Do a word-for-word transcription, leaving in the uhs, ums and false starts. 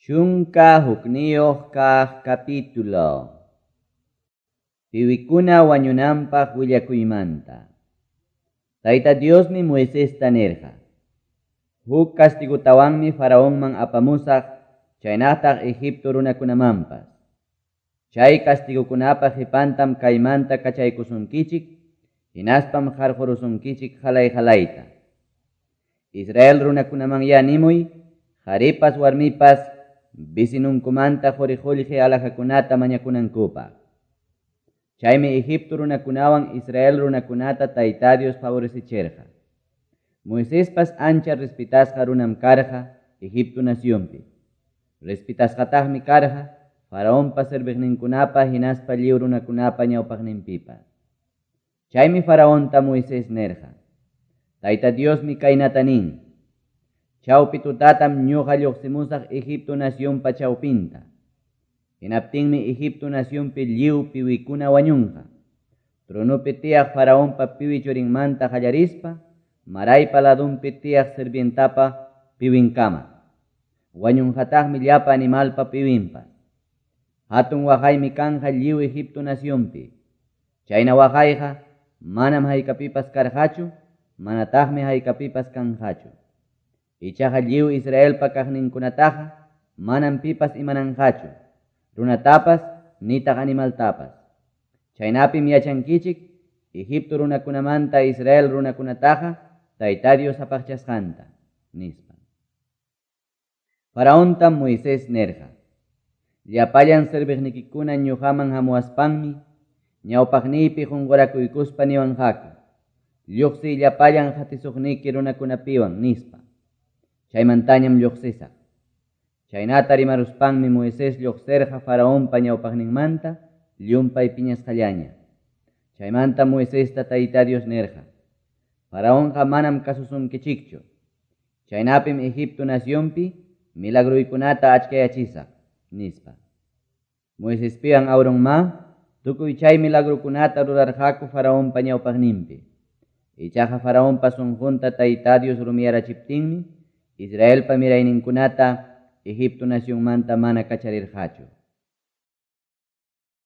Chunka hukniyuq kaq capítulo. Piwikuna wañunanpaq willakuymanta. Tayta Diosmi Moisesta nirqa: Huk castigutawanmi Faraonman apamusaq, chaynataq Egipto runakunamanpas. Chay castigukunapa qipantam kaymanta kachaykusunkichik, hinaspam qarqurusunkichik qalay-qalayta. Israel runakunamanyá nimuy, qaripas warmipas vecinunkumanta quri-qullqi alhajakunata mañakunankupaq. Chaymi Egipto runakunawan Israel runakunata Tayta Dios favorecichirqa. Moisespas ancha respetasqa runam karqa Egipto nacionpi. Respetasqataqmi karqa Faraonpa serviqninkunapa hinaspa lliw runakunapa ñawpaqninpipas. Chaymi Faraonta Moisés nirqa: Tayta Diosmi kaynata nin: Chawpi tutatam ñuqa lluqsimusaq Egipto nacionpa chawpinta. Hinaptinmi Egipto nacionpi lliw piwikuna wañunqa. Tronopi tiyaq Faraonpa piwi churinmanta qallarispa, maraypa ladunpi tiyaq sirvientapa piwinkama. Wañunqataqmi llapa animalpa piwinpas. Hatun waqaymi kanqa lliw Egipto nacionpi. Chayna waqayqa manam haykapipas karqachu, manataqmi haykapipas kanqachu. Ichaqa lliw Israelpa kaqninkunataqa manam pipas imananqachu, runatapas nitaq animaltapas. Chaynapim yachankichik Egipto runakunamanta Israel runakunataqa Tayta Dios apaqchasqanta, nispa. Faraontam Moisés nirqa: Llapallan serviqnikikuna ñuqaman hamuwaspanmi ñawpaqniypi qunqurakuykuspa niwanqaku: lluqsiy llapallan qatisuqniki runakunapiwan, nispa. Chaymantañam lluqsisaq. Chaynata rimaruspanmi Moisés lluqsirqa Faraonpa ñawpaqninmanta llumpay piñasqallaña. Chaymanta Moisesta Tayta Dios nirqa: Faraonqa manam kasusunkichikchu. Chaynapim Egipto nacionpi milagruykunata achkayachisaq, nispa. Moisespiwan Aaronma tukuy chay milagrukunata rurarqaku Faraonpa ñawpaqninpi. Ichaqa Faraonpa sunqunta Tayta Dios rumiyarachiptinmi Israelpa mirayninkunata Egipto nacionmanta mana kacharirqachu.